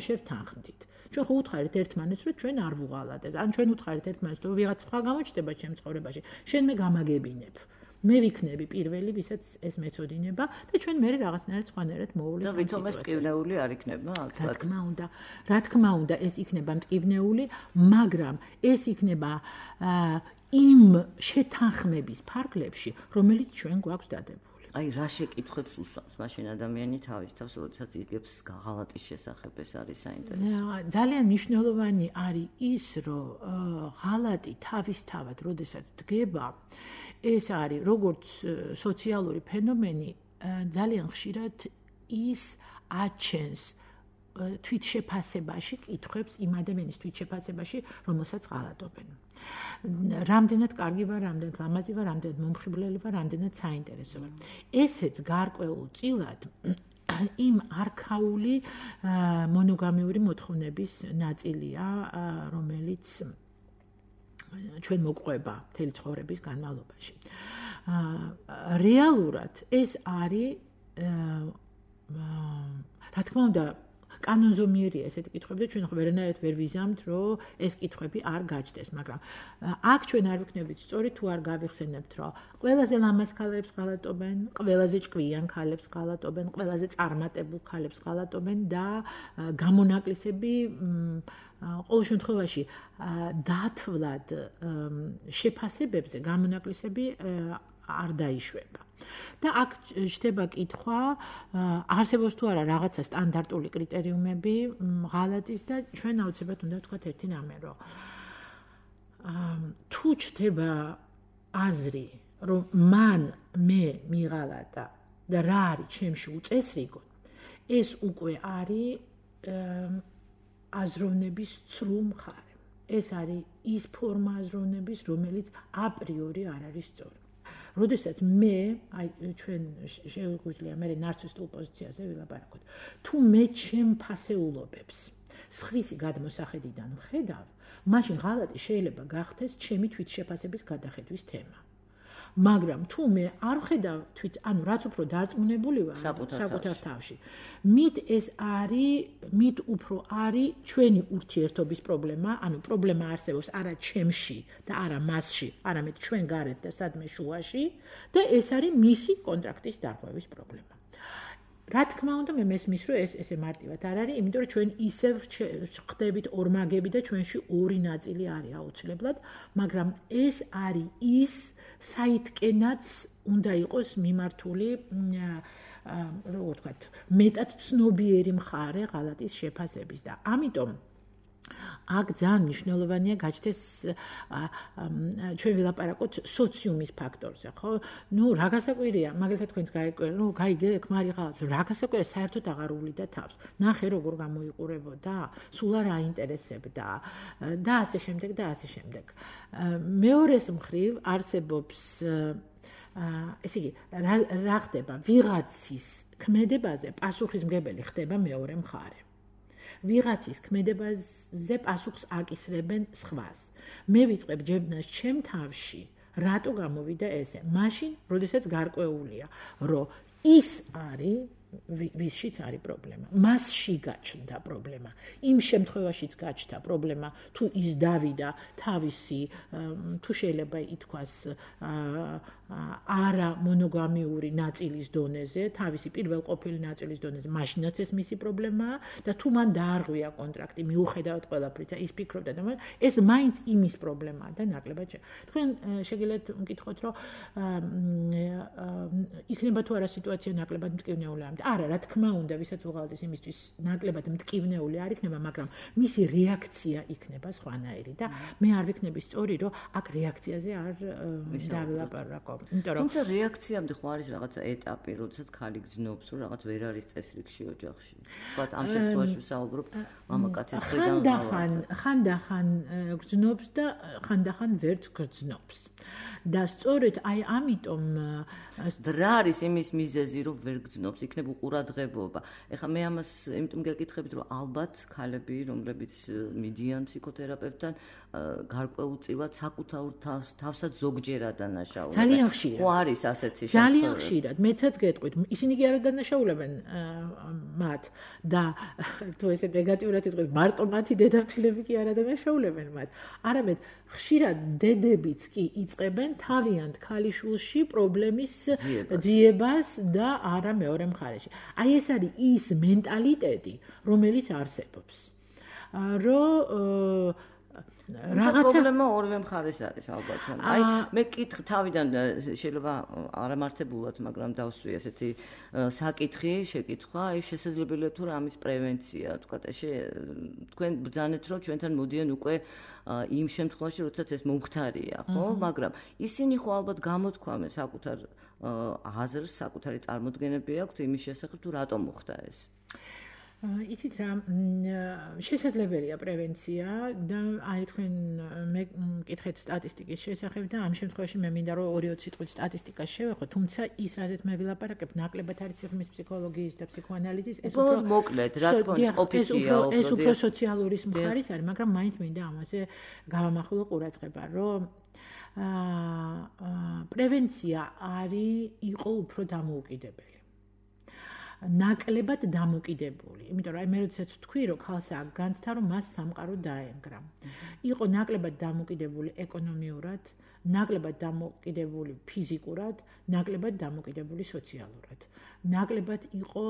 შევთანხმდით. ჩვენ ხო უთხარით ერთმანეთს, რომ ჩვენ არ ვუღალატებთ. ან ჩვენ უთხარით ერთმანეთს, რომ ვიღაც სხვა გამოჩნდება ჩემ ცხოვრებაში, შენ მე გამაგებინებ. მე ვიქნები პირველი, ვისაც ეს მეწოდინება და ჩვენ მე რაღაცნაირად სხვანაირად მოვავლით. და ვითომ ეს მტკივნეული არ იქნება? რა თქმა უნდა, ეს იქნება მტკივნეული, მაგრამ ეს იქნება იმ შეთანხმების ფარგლებში, რომელიც ჩვენ გვაქვს დადებული. აი რა შეკითხვებს უსვამს მაშინ ადამიანი თავის თავს, როდესაც იგებს ღალატის შესახებ, ეს არის საინტერესო. ძალიან მნიშვნელოვანი არის ის, რომ ღალატი თავისთავად, როდესაც დგება, ეს არის როგორც სოციალური ფენომენი, ძალიან ხშირად ის აჩენს თვითშეფასებაში კითხვებს იმ ადამიანის თვითშეფასებაში, რომელსაც ღალატობენ. რამდენად კარგი ვარ, რამდენად ლამაზი ვარ, რამდენად მომხიბვლელი ვარ, რამდენად საინტერესო ვარ. ესეც გარკვეულწილად იმ არქაული მონოგამიური მოთხოვნების ნაწილია, რომელიც ჩვენ მოყვება მთელი ცხოვრების განმავლობაში. რეალურად ეს არის რა თქმა უნდა კანონზომიერია ესეთი კითხვები და ჩვენ ვერანაირად ვერ ვიზამთ, რომ ეს კითხვები არ გაჩნდეს, მაგრამ აქ ჩვენ არ ვიქნებით სწორი თუ არ გავიხსენებთ, რომ ყველაზე ლამაზ ქალებს ღალატობენ, ყველაზე ჭკვიან ქალებს ღალატობენ, ყველაზე წარმატებულ ქალებს ღალატობენ და გამონაკლისები ყოველ შემთხვევაში დათვლად შეფასებებზე გამონაკლისები არ დაიშვება. და აქ ჩდება კითხვა, არსებობს თუ არა რაღაცა სტანდარტული კრიტერიუმები ღალატის და ჩვენ აუცილებლად უნდა ვთქვათ ერთი რამე, რომ თუ ჩდება აზრი, რომ მე მიღალატა და რა არის ჩემში უწესრიგო, ეს უკვე არის აზროვნების ცრუ მხარე. ეს არის ის ფორმა აზროვნების, რომელიც აპრიორი არ არის სწორი. როდესაც მე, ჩვენ შეგვიძლია მე ნარცისტულ პოზიციაზე ვილაპარაკოთ. თუ მე ჩემ ფასეულობებს სხვისი გადმოსახედიდან ვხედავ, მაშინ ღალატი შეიძლება გახდეს ჩემი თვითშეფასების გადახედვის თემა. მაგრამ თუ მე არ ვხედავ ანუ რაც უფრო დარწმუნებული ვარ საკუთარ თავში, მით უფრო არის ჩვენი ურთიერთობის პრობლემა, ანუ პრობლემა არსებობს არა ჩემში და არა მასში, არამედ ჩვენ გარეთ და სადმე შუაში და ეს არის მისი კონტრაქტის დარღვევის პრობლემა. რა თქმა უნდა მე მესმის რომ ეს ესე მარტივად არ არის, იმიტომ რომ ჩვენ ისევ ხდებით ორმაგები და ჩვენში ორი ნაწილი არის აუცილებლად, მაგრამ ეს არის ის საითკენაც უნდა იყოს მიმართული როგორ ვთქვათ, მეტად ცნობიერი მხარე ღალატის შეფასების და ამიტომ აქ ძალიან მნიშვნელოვანია გაჩნდეს ჩვენ ვილაპარაკოთ სოციუმის ფაქტორზე, ხო? ნუ რა გასაკვირია, მაგალითად თქვენს გაიგე, ნუ გაიგე, ქმარი ღალატს, რა გასაკვირია, საერთოდ აღარ უვლიდა თავს. ნახე როგორ გამოიყურებოდა, სულ არ აინტერესებდა და ასე შემდეგ და ასე შემდეგ. მეორეს მხრივ არსებობს ესე იგი, რა ხდება, ვიღაცის ქმედებაზე პასუხისმგებელი ხდება მეორე მხარე. ვიღაცის ქმედებაზე პასუხს აკისრებენ სხვას. მე ვიწყებ ჯებნას ჩემ თავში, რატო გამოვიდა ესე? მაშინ, როდესაც გარკვეულია, რომ ის არის ვისშიც არის პრობლემა. მასში გაჩნდა პრობლემა. იმ შემთხვევაშიც გაჩნდა პრობლემა, თუ ის დავიდა თავისი, თუ შეიძლება ითქვას, არა მონოგამიური ნაწილის დონეზე, თავისი პირველ ყოფილი ნაწილის დონეზე, მაშინაც ეს მისი პრობლემაა და თუ მან დაარღვია კონტრაქტი, მიუხედავად ყველაფრისა, ის ფიქრობდა და ეს მაინც იმის პრობლემაა და ნაკლებად თქვენ შეგიძლიათ მკითხოთ, რომ იქნება თუ არა სიტუაცია ნაკლებად მტკივნეული ამით. არა, რა თქმა უნდა, ვისაც უღალატის იმისთვის ნაკლებად მტკივნეული არ იქნება, მაგრამ მისი რეაქცია იქნება სხვანაირი და მე არ ვიქნები სწორი, რომ აქ რეაქციაზე არ დავილაპარაკო. თუმცა რეაქციამდე ხო არის რაღაცა ეტაპი, როდესაც ხალი გძნობს, რომ რაღაც ვერ არის წესრიგში ოჯახში. ვთქვათ, ამ შემთხვევაში ვსაუბრობ მამაკაცის მხრიდან. ხანდახან გძნობს და ხანდახან ვერც გძნობს. და სწორედ აი ამიტომ რა არის იმის მიზეზი, რომ ვერ გძნობს, იქნება უყურადღებობა. ეხლა მე ამას იმიტომ გეკითხებით, რომ ალბათ ქალები, რომლებიც მიდიან ფსიქოთერაპევტთან, გარკვეულწილად საკუთარ თავსაც ზოგჯერ ადანაშაულებენ. ძალიან ხშირად. ხო არის ასეთი შემთხვევა. ძალიან ხშირად. მეცაც გეტყვით, ისინი კი არ ადანაშაულებენ მათ და თუ ესე ნეგატიურად იტყვით, მარტო მათი დედამთილები კი არ ადანაშაულებენ მათ. არამედ ხშირად დედებიც კი იწყებენ თავიანთ ქალიშვილში პრობლემის ძიებას და არა მეორე მხარეში. აი ეს არის ის მენტალიტეტი, რომელიც არსებობს. რომ რაღაცა პრობლემა ორივე მხარეს არის ალბათ. აი მე კითხ თავიდან შეიძლება არამართებულად, მაგრამ დავსვი ესეთი საკითხი, შეკითხვა, აი შესაძლებელია თუ რა ამის პრევენცია, თქვა თქვენ ბრძანეთ რომ ჩვენთან მოდიან უკვე იმ შემთხვევაში, როდესაც ეს მომხდარია, ხო? მაგრამ ისინი ხო ალბათ გამოთქვამენ საკუთარ აზრს, საკუთარი წარმოდგენები აქვთ იმის შესახებ, თუ რატომ მოხდა ეს. იცით რა, შესაძლებელია პრევენცია და აი თქვენ მე მკითხეთ სტატისტიკის შესახებ და ამ შემთხვევაში მე მინდა რომ 2-20 სიტყვით სტატისტიკას შევეხო, თუმცა ის რაზეც მე ვილაპარაკებ, ნაკლებად არის სიღრმის ფსიქოლოგიის და ფსიქოანალიზის, ეს უფრო მოკლედ, რა თქმა უნდა, ყოფილია, ეს უფრო სოციალური მხარის არის, მაგრამ მაინც მინდა ამაზე გავამახვილო ყურადღება, რომ პრევენცია იყო უფრო დამოუკიდებელი. ნაკლებად დამოკიდებული. იმიტომ რომ აი მე როდესაც ვთქვი, რომ ქალს აქ განცდა, რომ მას სამყარო დაენგრა. იყო ნაკლებად დამოკიდებული ეკონომიურად, ნაკლებად დამოკიდებული ფიზიკურად, ნაკლებად დამოკიდებული სოციალურად. ნაკლებად იყო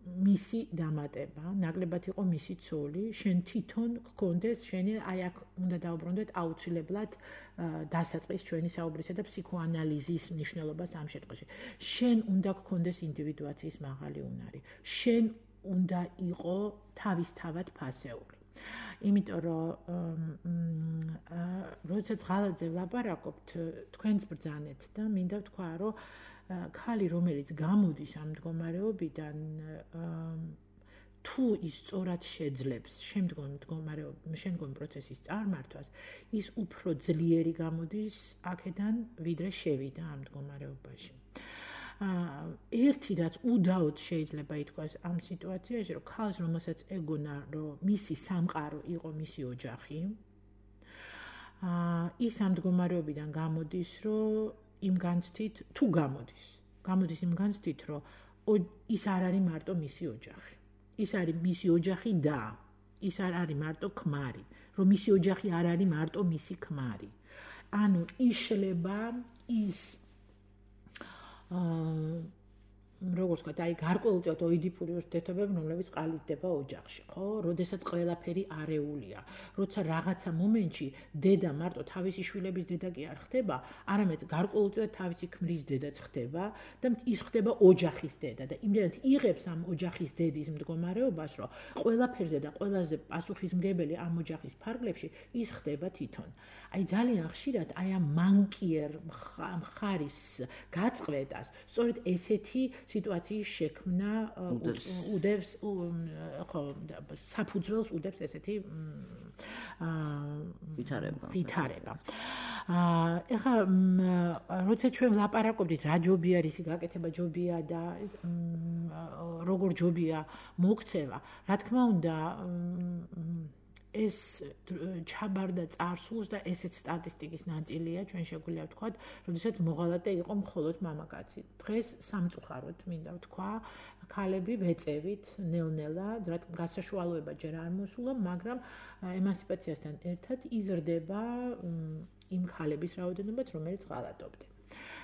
მისი დამატება, ნაკლებად იყო მისი ცოლი, შენ თვითონ გქონდეს, შენი აი აქ უნდა დაუბრუნდეთ აუცილებლად დასაწყის ჩვენი საუბრისა და ფსიქოანალიზის მნიშვნელობას ამ შემთხვევაში. შენ უნდა გქონდეს ინდივიდუაციის მაღალი უნარი. შენ უნდა იყო თავისთავად ფასეული. იმიტომ რომ როდესაც ღალატზე ვლაპარაკობთ, თქვენს ბრძანეთ და მინდა ვთქვა, რომ ქალი, რომელიც გამოდის ამ მდგომარეობიდან, თუ ის სწორად შეძლებს შემდგომ პროცესის წარმართვას, ის უფრო ძლიერი გამოდის აქედან, ვიდრე შევიდა ამ მდგომარეობაში. ერთი რაც უდაოდ შეიძლება ითქვას ამ სიტუაციაში, რომ ქალს, რომელსაც ეგონა, რომ მისი სამყარო იყო მისი ოჯახი, ის ამ მდგომარეობიდან გამოდის, რომ იმ განცდით, თუ გამოდის იმ განცდით, რომ ის არ არის მარტო მისი ოჯახი. ის არის მისი ოჯახი და ის არ არის მარტო ქმარი, რომ მისი ოჯახი არ არის მარტო მისი ქმარი. ანუ იშლება ის როგორც ვთქვათ, აი გარკვეულწილად ოიდიპური ურთიერთობები, რომლებიც ყალიბდება ოჯახში, ხო? როდესაც ყველაფერი არეულია, როცა რაღაცა მომენტში დედა მარტო თავისი შვილების დედა კი არ ხდება, არამედ გარკვეულწილად თავისი ქმრის დედაც ხდება და ის ხდება ოჯახის დედა და იმდენად იღებს ამ ოჯახის დედის მდგომარეობას, რომ ყველაფერზე და ყველაზე პასუხისმგებელი ამ ოჯახის ფარგლებში ის ხდება თვითონ. აი ძალიან ხშირად აი ამ მანკიერ მხარის გაწყვეტას სწორედ ესეთი სიტუაციის შექმნა უდევს ხო საფუძველს უდევს ესეთი ვითარება. ეხლა როცა ჩვენ ვლაპარაკობდით რა ჯობია რისი გაკეთება ჯობია და როგორ ჯობია მოქცევა, რა თქმა უნდა ეს ჩაბარდა წარსულს და ესეც სტატისტიკის ნაწილია, ჩვენ შეგვიძლია ვთქვათ, როდესაც მოღალატე იყო მხოლოდ მამაკაცი. დღეს სამწუხაროდ მინდა ვთქვა, ქალები ვეწევით ნელ-ნელა, გასაშუალება ჯერ არ მოსულა, მაგრამ ემანციპაციასთან ერთად იზრდება იმ ქალების რაოდენობაც, რომელიც ღალატობდნენ.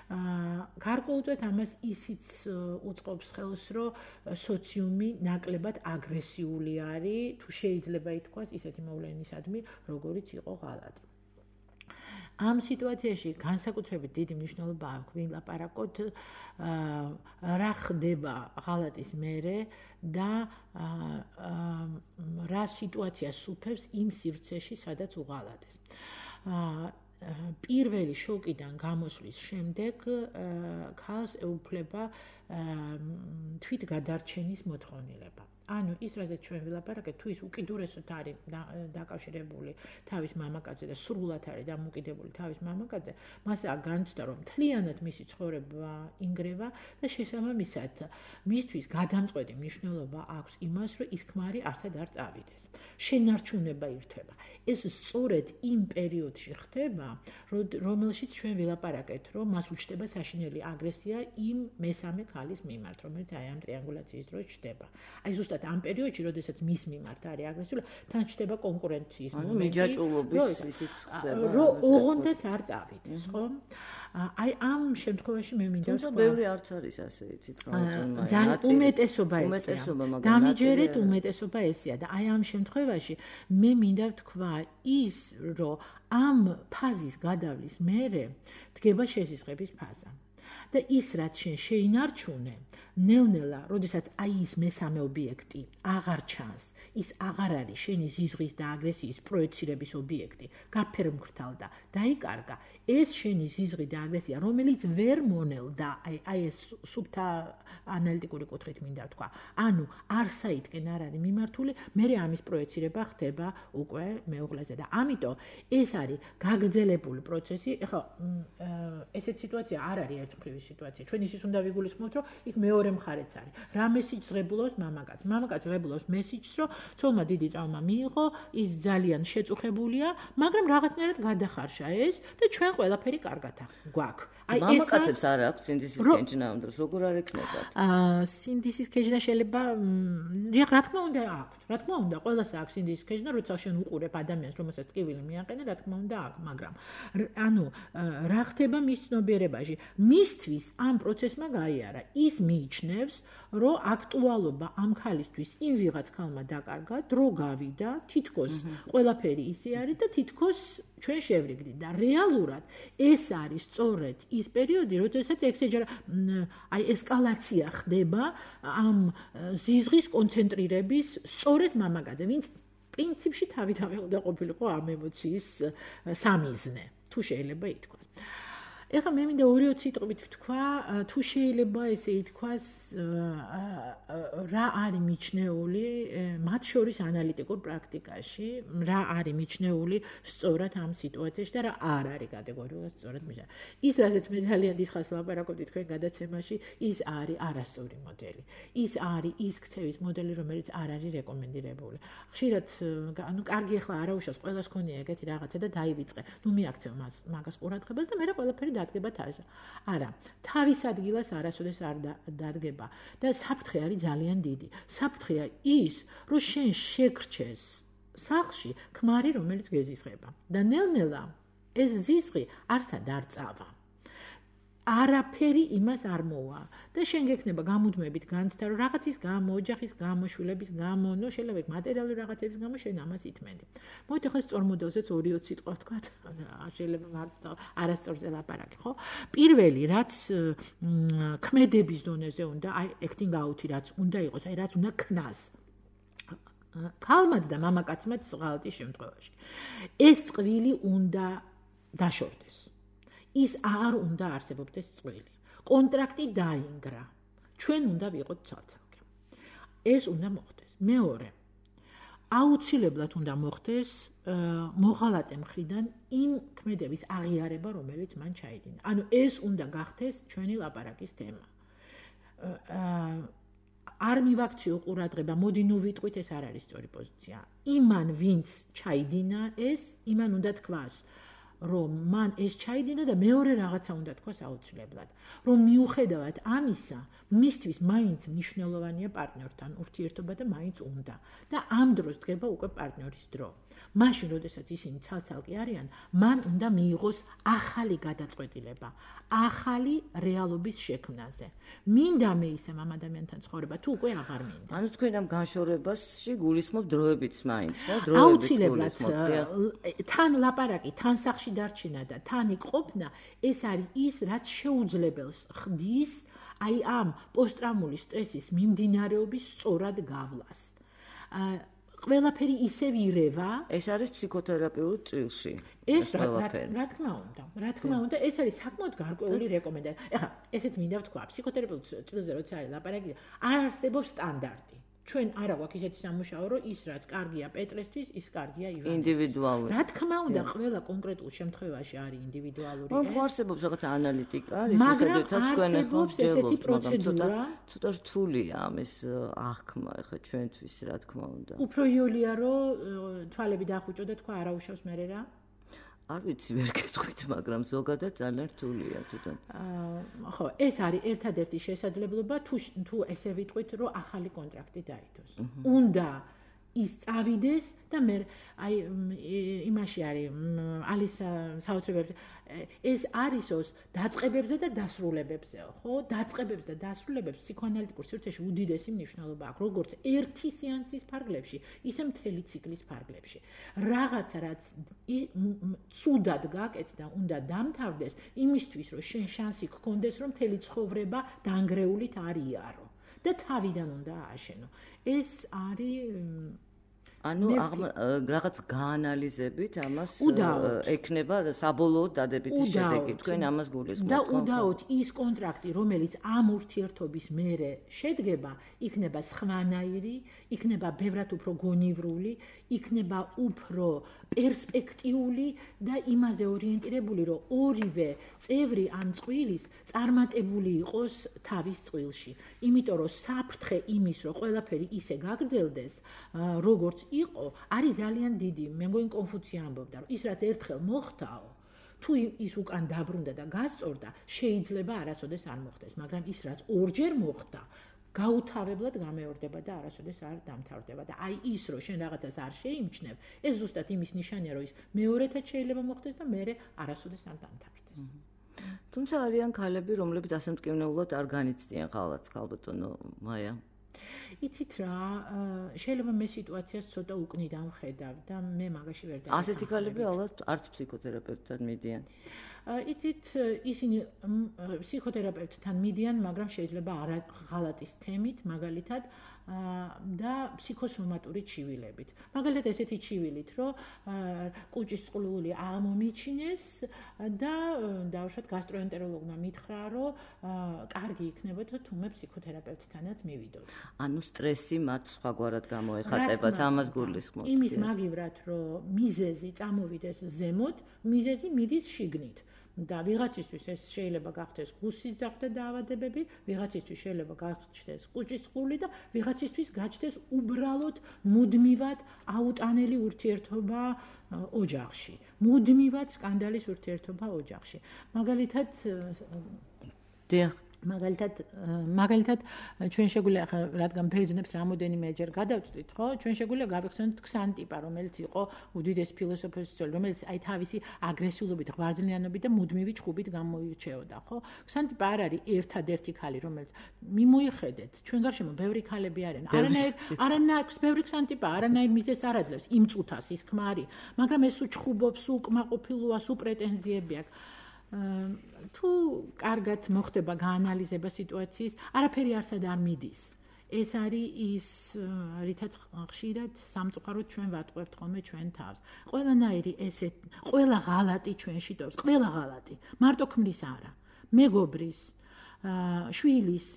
გარკვეულწილად ამას ისიც უწყობს ხელს, რომ სოციუმი ნაკლებად აგრესიული არის, თუ შეიძლება ითქვას, ისეთი მოვლენისადმი, როგორიც იყო ღალატი. ამ სიტუაციაში განსაკუთრებით დიდი მნიშვნელობა აქვს ვილაპარაკოთ რა ხდება ღალატის მერე და რა სიტუაცია სუფევს იმ სივრცეში, სადაც უღალატეს. პირველი შოკიდან გამოსვლის შემდეგ ქალს ეუფლება თვითგადარჩენის მოთხოვნილება. ანუ ის რაზეც ჩვენ ვილაპარაკეთ, თუ ის უკიდურესად არის დაკავშირებული თავის მამაკაცზე და სრულად არის დამოკიდებული თავის მამაკაცზე, მას აქ განცდა, რომ მთლიანად მისი ცხოვრება ინგრევა და შესაბამისად მისთვის გადამწყვეტი მნიშვნელობა აქვს იმას, რომ ის ქმარი არსად არ წავიდეს. შენარჩუნება ირთვება. ეს სწორედ იმ პერიოდში ხდება, რომელშიც ჩვენ ვილაპარაკეთ, რომ მას უჩნდება საშინელი აგრესია იმ მესამე ქალის მიმართ, რომელიც აი ამ ტრიანგულაციის დროს ჩდება. აი ზუსტად ამ პერიოდში, როდესაც მის მიმართ არის აგრესიული, თან ჩდება კონკურენციის მომენტი. ანუ მიჯაჭვულობის ისიც ხდება. რომ ოღონდაც არ წავიდეს, ხო? აი ამ შემთხვევაში მე მინდა ვთქვა, ბევრი არც არის ასე იცით რა. ძალიან უმეტესობა ესეა. დამიჯერეთ უმეტესობა ესეა და აი ამ შემთხვევაში მე მინდა ვთქვა ის, რომ ამ ფაზის გადავლის მერე დგება შესიზღების ფაზა. და ის რაც შენ შეინარჩუნე, ნელ-ნელა, როდესაც აი ის მესამე ობიექტი აღარ ჩანს, ის აღარ არის შენი ზიზღის და აგრესიის პროექცირების ობიექტი, გაფერმკრთალდა, დაიკარგა, ეს შენი ზიზღი და აგრესია, რომელიც ვერ მონელდა, აი ეს სუფთა ანალიტიკური კუთხით მინდა ვთქვა. ანუ არსაითკენ არ არის მიმართული, მერე ამის პროექცირება ხდება უკვე მეუღლეზე და ამიტომ ეს არის გაგრძელებული პროცესი. ეხლა ესეთ სიტუაცია არ არის ერთმხრივი სიტუაცია. ჩვენ ისიც უნდა ვიგულისხმოთ, რომ იქ მეორე მხარეც არის. რა მესიჯს ღებულობს მამაკაცს? მამაკაცს ღებულობს მესიჯს, რომ ცოლმა დიდი ტრავმა მიიღო, ის ძალიან შეწუხებულია, მაგრამ რაღაცნაირად გადახარშა ეს და ჩვენ ყველაფერი კარგად გვაქვს. აი ეს მამაკაცებს არ აქვს სინდისის კეჯნა ამ დროს, როგორ არ ეკნებათ? სინდისის კეჯნა შეიძლება, რა თქმა უნდა აქვს. რა თქმა უნდა, ყველას აქვს სინდისის კეჯნა, როცა შენ უყურებ ადამიანს, რომელსაც ტკივილი მიაყენა, რა თქმა უნდა აქვს, მაგრამ ანუ რა ხდება მის ცნობიერებაში? მისთვის ამ პროცესმა გაიარა. ის მიიჩნევს, რომ აქტუალობა ამ ქალისთვის იმ ვიღაც ქალმა დაკარგა, დრო გავიდა, თითქოს ყველაფერი ისე არის და თითქოს ჩვენ შევრიგდით და რეალურად ეს არის სწორედ ის პერიოდი, როდესაც აი ესკალაცია ხდება ამ ზიზღის კონცენტრირების სწორედ მამაკაცზე, ვინც პრინციპში თავიდანვე უნდა ყოფილიყო ამ ემოციის სამიზნე, თუ შეიძლება ითქვას. ეხლა მე მინდა 2-3 სიტყვით ვთქვა, თუ შეიძლება ესე ითქვას, რა არის მიჩნეული მათ შორის ანალიტიკურ პრაქტიკაში, რა არის მიჩნეული სწორად ამ სიტუაციაში და რა არ არის კატეგორიულად სწორად მიჩნეული. ის, რასაც მე ძალიან დიდხანს ვლაპარაკობდი თქვენ გადაცემაში, ის არის არასწორი მოდელი. ის არის ის ქცევის მოდელი, რომელიც არ არის რეკომენდირებული. ხშირად, ანუ კარგი ახლა არაუშავს, ყველას ქონია ეგეთი რაღაცა და დაივიწყე. ნუ მიაქცევ მაგას ყურადღებას და მე რა ყველაფერი დადგება თავზე. არა, თავის ადგილას არასოდეს არ დადგება და საფრთხე არის ძალიან დიდი. საფრთხეა ის, რომ შენ შეგრჩეს სახლში ქმარი, რომელიც გეზიზღება და ნელ-ნელა ეს ზიზღი არსად არ წავა. არაფერი იმას არ მოვა და შენ გექნება გამუდმებით განცდა რომ რაღაცის გამო, ოჯახის გამო, შვილების გამო, ნუ შეიძლება მატერიალური რაღაცების გამო შენ ამას ითმენდი. მოვით ახლა სწორ მოდელზეც 2-20 სიტყვა ვთქვათ, შეიძლება მარტო არასწორზე ლაპარაკი, ხო? პირველი, რაც ქმედების დონეზე უნდა, აი acting out-ი რაც უნდა იყოს, აი რაც უნდა ქნას. ქალმაც და მამაკაცმაც ღალატის შემთხვევაში. ეს წყვილი უნდა დაშორდეს. ის არ უნდა არსებობდეს წყვილი. კონტრაქტი დაინგრა. ჩვენ უნდა ვიყოთ ცალ-ცალკე. ეს უნდა მოხდეს. მეორე. აუცილებლად უნდა მოხდეს მოღალატე მხრიდან იმ ქმედების აღიარება, რომელიც მან ჩაიდინა. ანუ ეს უნდა გახდეს ჩვენი ლაპარაკის თემა. არ მივაქციო ყურადღება, მოდი ნუ ვიტყვით, ეს არ არის სწორი პოზიცია. იმან ვინც ჩაიდინა ეს, იმან უნდა თქვას, რომ მან ეს ჩაიდინა და მეორე რაღაცა უნდა თქვას აუცილებლად. რომ მიუხედავად ამისა, მისთვის მაინც მნიშვნელოვანია პარტნიორთან ურთიერთობა და მაინც უნდა. და ამ დროს დგება უკვე პარტნიორის დრო. მაშინ, როდესაც ისინი ცალ-ცალკე არიან, მან უნდა მიიღოს ახალი გადაწყვეტილება, ახალი რეალობის შექმნაზე. მინდა მე ისე ამ ადამიანთან ცხოვრება, თუ უკვე აღარ მინდა. ანუ თქვენ ამ განშორებაში გულისხმობ დროებიც მაინც, ხო? აუცილებლად თან ლაპარაკი, თან სახში დარჩენა და თან იქ ყოფნა, ეს არის ის, რაც შეუძლებელს ხდის აი ამ პოსტტრაუმული სტრესის მიმდინარეობის სწორად გავლას. ყველაფერი ისევ ირევა. ეს არის ფსიქოთერაპიულ წილში. ეს რა თქმა უნდა, ეს არის საკმაოდ გარკვეული რეკომენდაცია. ეხლა, ესეც მინდა ვთქვა, ფსიქოთერაპიულ წილზე როცა არის ლაპარაკი, არ არსებობს სტანდარტი. ჩვენ არა გვაქვს ისეთი სამუშაო, რომ ის რაც კარგია პეტრესთვის, ის კარგია ივანისთვის. ინდივიდუალური. რა თქმა უნდა, ყველა კონკრეტულ შემთხვევაში არის ინდივიდუალური. რომ არსებობს რაღაც ანალიტიკა, ის მიხედვითაც თქვენ ახლა ვჯერდობთ, მაგრამ ცოტა რთულია ამის აღქმა ახლა ჩვენთვის, რა თქმა უნდა. უფრო იოლია, რომ თვალები დაახუჭო და თქვა არა უშავს მერე რა. არ ვიცი, ვერ გეტყვით, მაგრამ ზოგადად ძალიან რთულია თვითონ. ხო, ეს არის ერთადერთი შესაძლებლობა, თუ ესე ვიტყვით, რომ ახალი კონტრაქტი დაიდოს. უნდა ის წავიდეს და მე აი იმაში არის ალის საოცრებებზე ეს არისოს დაწყებებზე და დასრულებებზეო, ხო? დაწყებებს და დასრულებებს ფსიქოანალიტიკურ სივრცეში უდიდესი მნიშვნელობა აქვს, როგორც ერთი სეანსის ფარგლებში, ისე მთელი ციკლის ფარგლებში. რაღაცა რაც ცუდად გაკეთდა და უნდა დამთავრდეს, იმისთვის რომ შენ შანსი გქონდეს, რომ მთელი ცხოვრება დანგრეულით არ იარო და თავიდან უნდა ააშენო. ეს არის ანუ რაღაც გაანალიზებით ამას ექნება საბოლოოდ დადებითი შედეგი. თქვენ ამას გულისხმობთ. და უდაოდ ის კონტრაქტი, რომელიც ამ ურთიერთობის მერე შედგება, იქნება სხვანაირი, იქნება ბევრად უფრო გონივრული, იქნება უფრო პერსპექტიული და იმაზე ორიენტირებული, რომ ორივე წევრი ამ წყვილის წარმატებული იყოს თავის წყვილში. იმიტომ რომ საფრთხე იმის, რომ ყველაფერი ისე გაგრძელდეს, როგორც იყო, არის ძალიან დიდი. მე მგონი კონფუცია ამბობდა, რომ ის რაც ერთხელ მოხდაო, თუ ის უკან დაბრუნდა და გასწორდა, შეიძლება არასოდეს არ მოხდეს, მაგრამ ის რაც ორჯერ მოხდა, გაუთავებლად გამეორდება და არასოდეს არ დამთავრდება და აი ის რომ შენ რაღაცას არ შეიმჩნევ, ეს ზუსტად იმის ნიშანია, რომ ის მეორეთად შეიძლება მოხდეს და მერე არასოდეს არ დამთავრდეს. თუმცა არიან ქალები, რომლებიც ასე მტკივნეულად არ განიცდიან ღალატს, ქალბატონო მაია. იცით რა, შეიძლება მე სიტუაციას ცოტა უკნიდან ვხედავ და მე მაგაში ვერ დავიწყებ. ასეთი ქალები ალბათ არც ფსიქოთერაპევტთან მიდიან. იცით, ისინი ფსიქოთერაპევტთან მიდიან, მაგრამ შეიძლება არა ღალატის თემით, მაგალითად, და ფსიქოსომატური ჩივილებით. მაგალითად, ესეთი ჩივილით, რომ კუჭის წყლული აღმომიჩინეს და დავუშვათ გასტროენტეროლოგმა მითხრა, რომ კარგი იქნებოდა თუმე ფსიქოთერაპევტთანაც მივიდოდ. ანუ სტრესი მათ სხვაგვარად გამოეხატებათ, ამას გულისხმობთ. იმის მაგივრად, რომ მიზეზი წამოვიდეს ზემოთ, მიზეზი მიდის შიგნით. და ვიღაცისთვის ეს შეიძლება გახდეს გუსის ზაღდა დაავადებები, ვიღაცისთვის შეიძლება გაჩნდეს კუჭის წყლული და ვიღაცისთვის გაჩნდეს უბრალოდ მუდმივად აუტანელი ურთიერთობა ოჯახში. მუდმივად სკანდალის ურთიერთობა ოჯახში. მაგალითად მაგალითად ჩვენ შეგვიძლია ახლა რადგან ბერძნებს რამოდენიმეჯერ გადავწვით, ხო? ჩვენ შეგვიძლია გავიხსენოთ ქსანტიპა, რომელიც იყო უდიდეს ფილოსოფოსი, რომელიც აი თავისი აგრესიულობით, ღვარძლიანობით და მუდმივი ჩხუბით გამოირჩეოდა, ხო? ქსანტიპა არ არის ერთადერთი ქალი, რომელიც მიმოიხედეთ, ჩვენ გარშემო ბევრი ქალები არიან. არანაირ ბევრი ქსანტიპა, არანაირ მიზეზს არ აძლევს იმ წუთას ის ქმარი, მაგრამ ეს უჩხუბობს, უკმაყოფილოა, სუპრეტენზიები აქვს. თუ კარგად მოხდება გაანალიზება სიტუაციის, არაფერი არსად არ მიდის. ეს არის ის, რითაც ხშირად სამწუხაროდ ჩვენ ვატყუებთ ხოლმე ჩვენ თავს. ყველანაირი ესეთ, ყველა ღალატი ჩვენში ტოვებს, ყველა ღალატი, მარტო ქმრის არა, მეგობრის, შვილის,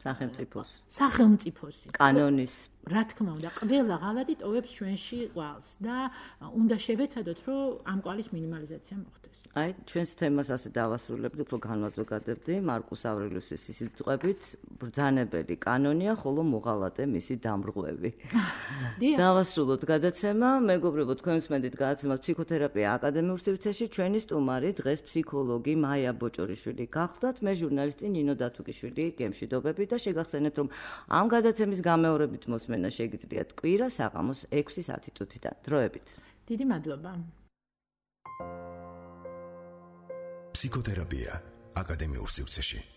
სახელმწიფოსი, კანონის. რა თქმა უნდა, ყველა ღალატი ტოვებს ჩვენში ყვალს და უნდა შევეცადოთ, რომ ამ ყვალის მინიმალიზაცია მოხდეს. აი, ჩვენს თემას ასე დავასრულებთ, უფრო განმაძლოვდებდი მარკუს ავრელიუსის სიტყვებით, ბრძანებელი კანონია, ხოლო მოღალატე მისი დამრღვევი. დავასრულოთ გადაცემა, მეგობრებო, თქვენ მსმენთ გადაცემას ფსიქოთერაპია აკადემიურ სივრცეში, ჩვენი სტუმარი დღეს ფსიქოლოგი მაია ბოჭორიშვილი გახლდათ, მე ჟურნალისტი ნინო დათუკიშვილი გემშვიდობებით და შეგახსენებთ, რომ ამ გადაცემის გამეორებით მოსმენა შეგიძლიათ კვირა საღამოს 6:10 წუთიდან. დროებით. დიდი მადლობა. ფსიქოთერაპია აკადემიურ სივრცეში.